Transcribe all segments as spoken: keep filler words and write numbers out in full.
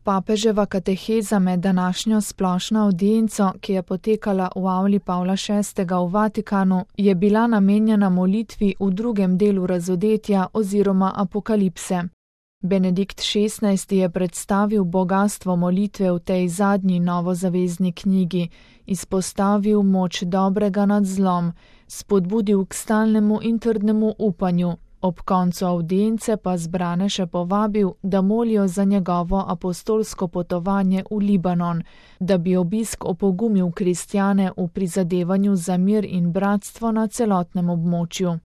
Papeževa kateheza med današnjo splošno avdienco, ki je potekala v avli Pavla šestega v Vatikanu, je bila namenjena molitvi v drugem delu razodetja oziroma apokalipse. Benedikt šestnajsti je predstavil bogastvo molitve v tej zadnji novozavezni knjigi, izpostavil moč dobrega nad zlom, spodbudil k stalnemu in trdnemu upanju, ob koncu avdience pa zbrane še povabil, da molijo za njegovo apostolsko potovanje v Libanon, da bi obisk opogumil kristjane v prizadevanju za mir in bratstvo na celotnem območju.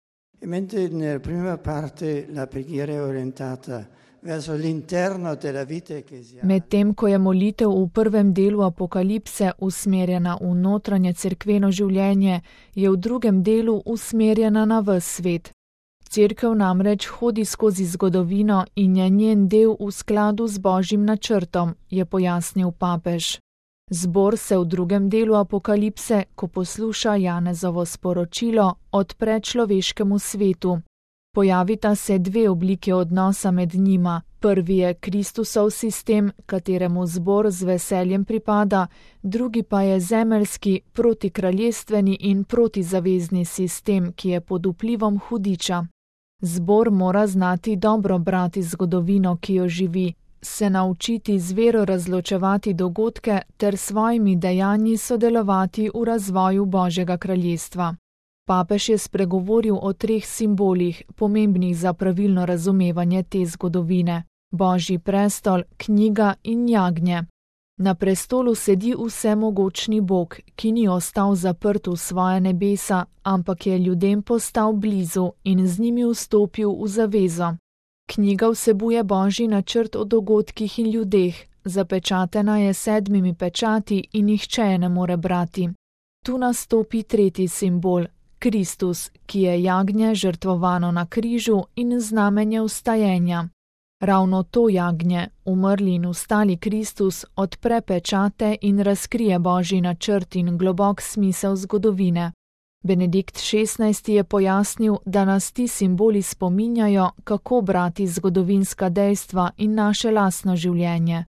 Mentre nella prima parte la preghiera è orientata verso l'interno della vita ecclesiale. Medtem ko je molitev v prvem delu apokalipse usmerjena v notranje cerkveno življenje, je v drugem delu usmerjena na ves svet. Cerkev namreč hodi skozi zgodovino in je njen del v skladu z Božjim načrtom, je pojasnil papež. Zbor se v drugem delu apokalipse, ko posluša Janezovo sporočilo, odpre človeškemu svetu. Pojavita se dve oblike odnosa med njima. Prvi je Kristusov sistem, kateremu zbor z veseljem pripada, drugi pa je zemeljski, protikraljestveni in protizavezni sistem, ki je pod vplivom hudiča. Zbor mora znati dobro brati zgodovino, ki jo živi, se naučiti z vero razločevati dogodke ter svojimi dejanji sodelovati v razvoju Božjega kraljestva. Papež je spregovoril o treh simbolih, pomembnih za pravilno razumevanje te zgodovine: Božji prestol, knjiga in jagnje. Na prestolu sedi vsemogočni Bog, ki ni ostal zaprt v svoje nebesa, ampak je ljudem postal blizu in z njimi vstopil v zavezo. Knjiga vsebuje Božji načrt o dogodkih in ljudeh, zapečatena je sedmimi pečati in nihče je ne more brati. Tu nastopi tretji simbol, Kristus, ki je jagnje žrtvovano na križu in znamenje vstajenja. Ravno to jagnje, umrli in vstali Kristus, odpre pečate in razkrije Božji načrt in globok smisel zgodovine. Benedikt šestnajsti je pojasnil, da nas ti simboli spominjajo, kako brati zgodovinska dejstva in naše lastno življenje.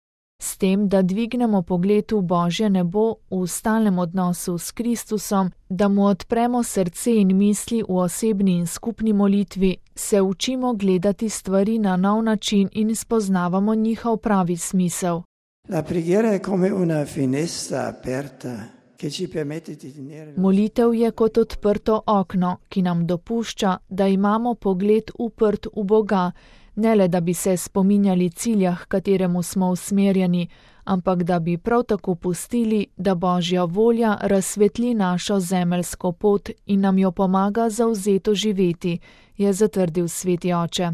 S tem, da dvignemo pogled v Božje nebo v stalnem odnosu s Kristusom, da mu odpremo srce in misli v osebni in skupni molitvi, se učimo gledati stvari na nov način in spoznavamo njihov pravi smisel. La preghiera è come una finestra aperta che ci permette di tenere. Molitev je kot odprto okno, ki nam dopušča, da imamo pogled uprt v Boga, ne le da bi se spominjali cilja, k kateremu smo usmerjeni, ampak da bi prav tako pustili, da Božja volja razsvetli našo zemeljsko pot in nam jo pomaga zavzeto živeti, je zatrdil sveti oče.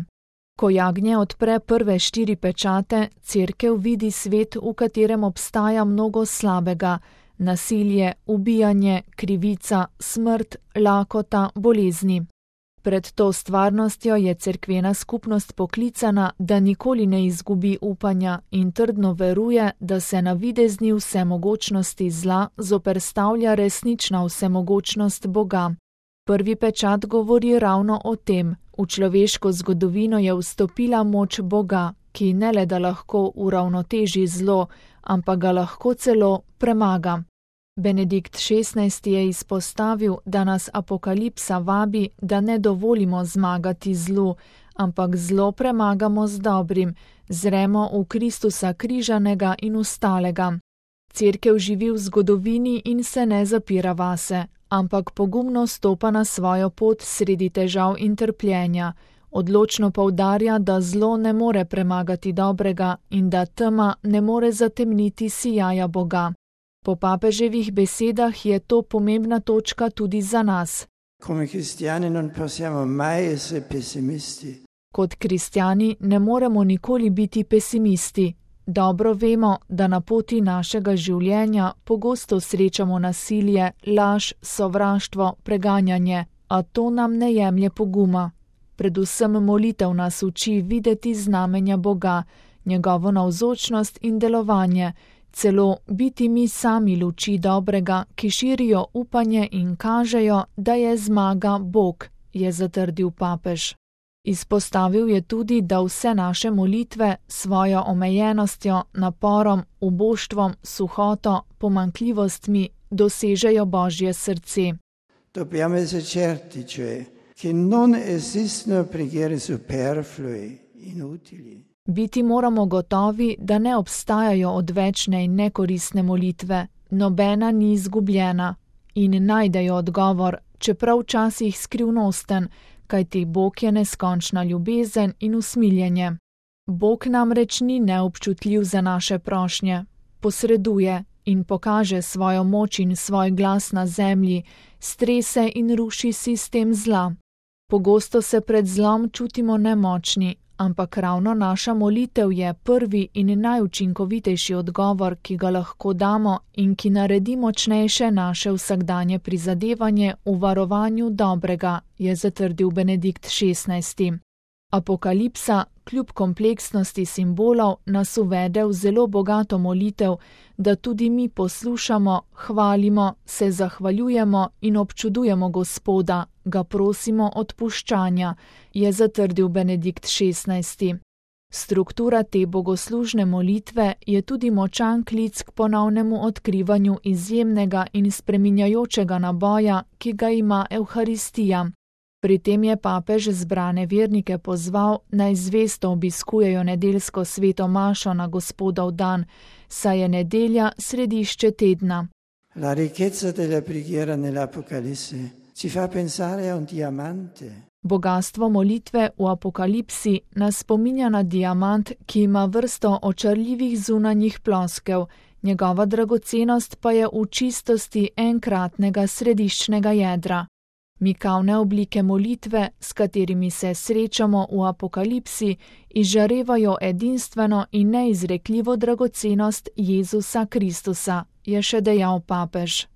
Ko jagnje odpre prve štiri pečate, cerkev vidi svet, v katerem obstaja mnogo slabega: nasilje, ubijanje, krivica, smrt, lakota, bolezni. Pred to stvarnostjo je cerkvena skupnost poklicana, da nikoli ne izgubi upanja in trdno veruje, da se na videzni vsemogočnosti zla zoperstavlja resnična vsemogočnost Boga. Prvi pečat govori ravno o tem. V človeško zgodovino je vstopila moč Boga, ki ne le da lahko uravnoteži zlo, ampak ga lahko celo premaga. Benedikt šestnajsti je izpostavil, da nas apokalipsa vabi, da ne dovolimo zmagati zlu, ampak zlo premagamo z dobrim, zremo v Kristusa križanega in vstalega. Cerkev živi v zgodovini in se ne zapira vase, ampak pogumno stopa na svojo pot sredi težav in trpljenja. Odločno poudarja, da zlo ne more premagati dobrega in da tema ne more zatemniti sijaja Boga. Po papeževih besedah je to pomembna točka tudi za nas. Kot kristjani ne moremo nikoli biti pesimisti. Dobro vemo, da na poti našega življenja pogosto srečamo nasilje, laž, sovraštvo, preganjanje, a to nam ne jemlje poguma. Predvsem molitev nas uči videti znamenja Boga, njegovo navzočnost in delovanje, celo biti mi sami luči dobrega, ki širijo upanje in kažejo, da je zmaga Bog, je zatrdil papež. Izpostavil je tudi, da vse naše molitve s svojo omejenostjo, naporom, uboštvom, suhoto, pomanjkljivostmi dosežejo Božje srce. Dobbiamo essere certi, cioè, che non esistono preghiere superflue, inutili. Biti moramo gotovi, da ne obstajajo odvečne in nekoristne molitve, nobena ni izgubljena in najdejo odgovor, čeprav včasih skrivnosten, kajti Bog je neskončna ljubezen in usmiljenje. Bog namreč ni neobčutljiv za naše prošnje, posreduje in pokaže svojo moč in svoj glas na zemlji, strese in ruši sistem zla. Pogosto se pred zlom čutimo nemočni, ampak ravno naša molitev je prvi in najučinkovitejši odgovor, ki ga lahko damo in ki naredi močnejše naše vsakdanje prizadevanje v varovanju dobrega, je zatrdil Benedikt šestnajsti. Apokalipsa, kljub kompleksnosti simbolov, nas uvede v zelo bogato molitev, da tudi mi poslušamo, hvalimo, se zahvaljujemo in občudujemo Gospoda, ga prosimo odpuščanja, je zatrdil Benedikt šestnajsti. Struktura te bogoslužne molitve je tudi močan klic k ponovnemu odkrivanju izjemnega in spreminjajočega naboja, ki ga ima Evharistija. Pri tem je papež zbrane vernike pozval, naj zvesto obiskujejo nedeljsko sveto mašo na Gospodov dan, saj je nedelja središče tedna. La ricchezza della preghiera nell'Apocalisse ci fa pensare a un diamante. Bogastvo molitve v Apokalipsi nas spominja na diamant, ki ima vrsto očarljivih zunanjih ploskev, njegova dragocenost pa je v čistosti enkratnega središčnega jedra. Mikavne oblike molitve, s katerimi se srečamo v Apokalipsi, izžarevajo edinstveno in neizrekljivo dragocenost Jezusa Kristusa, je še dejal papež.